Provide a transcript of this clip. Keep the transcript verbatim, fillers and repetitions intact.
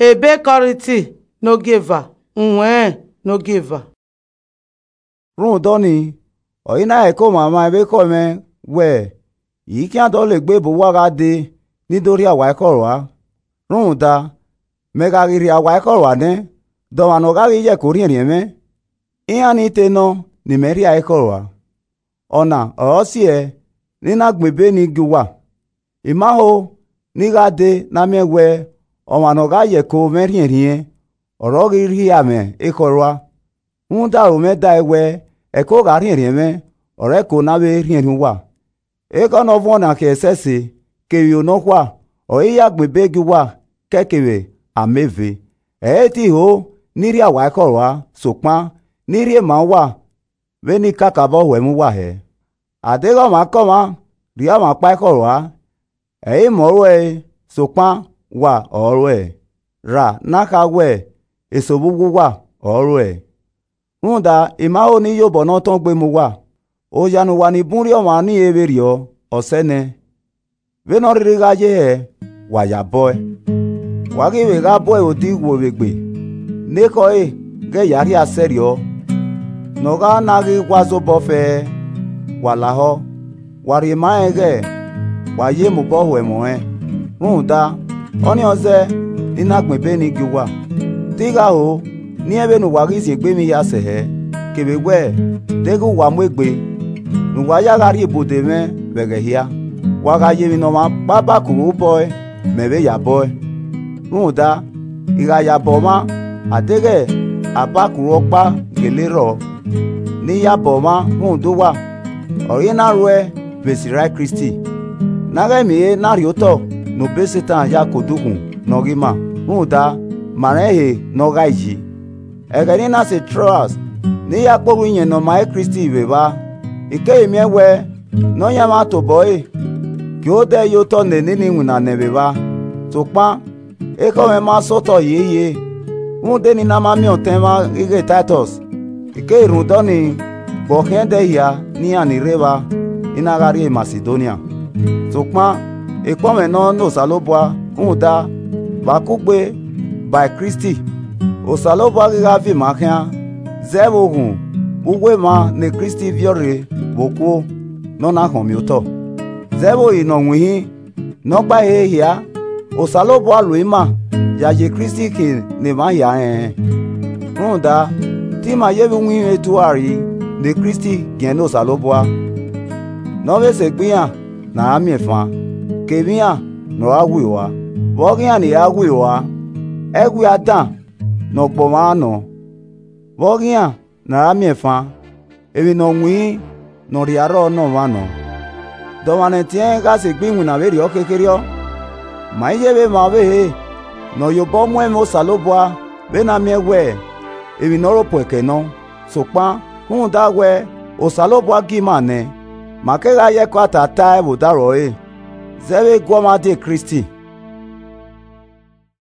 Ebe Kọrinti nogieva, uwẹnrẹn nogieva. Rhunmwuda ọnii, ọ i na heko mwamwa vbe ekhọe mwẹ wẹẹ, I i khian dọlegbe ebe uwa gha dee ni do rhia wa ekhọe rua. Rhunmwuda, mẹ gha ghi rhia wa ekhọe rua nẹ, de ọmwa ne ọ gha ghi ye ẹko rhiẹnrhiẹn mwẹ? Iran ni te nọ ne imẹ rhia ekhọe rua. Ọna ọre ọ si ẹe ne I na gbẹn ebe nii gie uwa. I ma ho ne I gha dee ne a miẹn wẹẹ, ọmwa ne ọ gha ye ẹko mwẹ rhiẹnrhiẹn, ọre ọ ghi rhia mwẹ ekhọe rua. Rhunmwuda, aro mwẹ dae wẹẹ, ẹko gha rhiẹnrhiẹn mwẹ, ọre ẹko ne a vbe rhiẹnrhiẹn uwa. Ekhọe ne ọ vuọn na khian ẹsẹse, kevbe iro nọkhua, ọre I ya gbẹn ebe gie uwa kẹkevbe ameve. Ẹ i te ho ne I rhia wa ekhọe rua, sokpan ne I rhie ma uwa vbene I kakabọ ho ẹmwẹ uwa hẹ. A deghẹ ọmwaikọmwa rhia ọmwa ọkpa ekhọe rua, ẹ i mẹ ọre ẹre, sokpan wa ọre ẹre. Ra ne a kha wẹẹ, eso vbe uwu uwa ọre ẹre. Rhunmwuda, I ma ho ne I ya obọ ne ọ tọn gbe mu uwa. Oya ne uwa ni bun rhie ọmwa nii vberriọ, ọ sẹ nẹ. Vbene ọ rhirhi gha ye hẹ, wa ya bọe. Wa ghi vbe gha bọe vbe odighẹ vbe egbe, ne ekhọe ghẹ ya rhia sẹrriọ, ne ọ gha na ghi wa zobọ fẹẹrẹ. Wa lahọ, wa rhie ma rẹn ighẹ wa ye mobọ ho ẹmwẹ ọnrẹn. Rhunmwuda, ọnii ọ zẹ ne I na gbẹn ebe nii gie uwa. Te I gha ho, ne irẹn vbene uwa ghi ziengbe emwi hia sẹ hẹ, kevbe wẹẹ, deghẹ uwa mu egbe, ne uwa ya gha rhie ibude mwẹ vbe ẹghẹ hia. Wa gha ye emwi ne ọmwa ọkpa ba kuru obọe, mẹ vbe ya bọe. Rhunmwuda, I gha ya bọ mwa, a deghẹ a ba kuru ọkpa gele rrọọ, ne I ya bọ mwa rhunmwuda uwa, ọre I na ruẹ vbe esi erha Kristi, ne a ghẹ miẹn ehe na rhie otọ ne obọ Setan hia ke odukhunmwu ne ọ ghi ma. Rhunmwuda, ma rẹn ehe ne ọ ghae yi. Ẹghẹ ne I na sẹ Troas, ne I ya kpe orhu Iyẹn Ne ọ ma he Kristi vbe evba, I keghi miẹn wẹẹ, Nọyaẹnmwa tobọ ẹre, gie odẹ ye otọ ne nene iwinna nẹ vbe evba. Sokpan, ekhọe mwẹ ma sẹ otọ hiehiere, rhunmwuda eni ne a ma miẹn ọtẹn mwa ighẹ Taitọs. I keghi rhunmwuda ọnii gbe ọ khian ẹdẹ hia ne iran ni rre evba, ne I na gha rrie Masidonia. Sokpan, ekpọnmwẹ nọ ne Osanobua, rhunmwuda, vbe a kugbe ba Kristi, Osanobua ghi gha viọ ima khian, zẹ vbe oghun vbe uwu emwa ne Kristi viọ rre vbe okuo, ne ọ na khọnmiotọ. Zẹ vbe ohi ne ọ winhin, ne ọ gba ehe hia, Osanobua lo ima ya ye Kristi khin ne emwa hia rẹnrẹn. Rhunmwuda, te ima ye vbe iwinmwẹ etuarre ne Kristi giẹn ne Osanobua, ne ọ vbe sẹ egbe iran ne a ra miẹn fan, kevbe iran ne ọ ra wi oa. Vbe ọghe iran ni ra wi oa, ẹwia dan ne ọ gbe ọmwa nọ. Vbe ọghe iran ne a ra miẹn fan, emwi ne ọ winhin ne ọ rhia rrọọ nọ ọmwa nọ. De ọmwa ne ẹtin ẹnrẹn gha sẹ egbe iwinna vberriọ khekherriọ? Ma i ye vbe emwa ọvbehe ne ọ ye obọ mu ẹmwẹ Osanobua vbene a miẹn wẹẹ, emwi ne ọ ro puẹ kẹ nọ. Sokpan, rhunmwuda wẹẹ, Osanobua gie ima nẹ, ma kegha ye ẹko atata ẹe vbe odaro ẹre, zẹ vbe gu ọmwa die Kristi.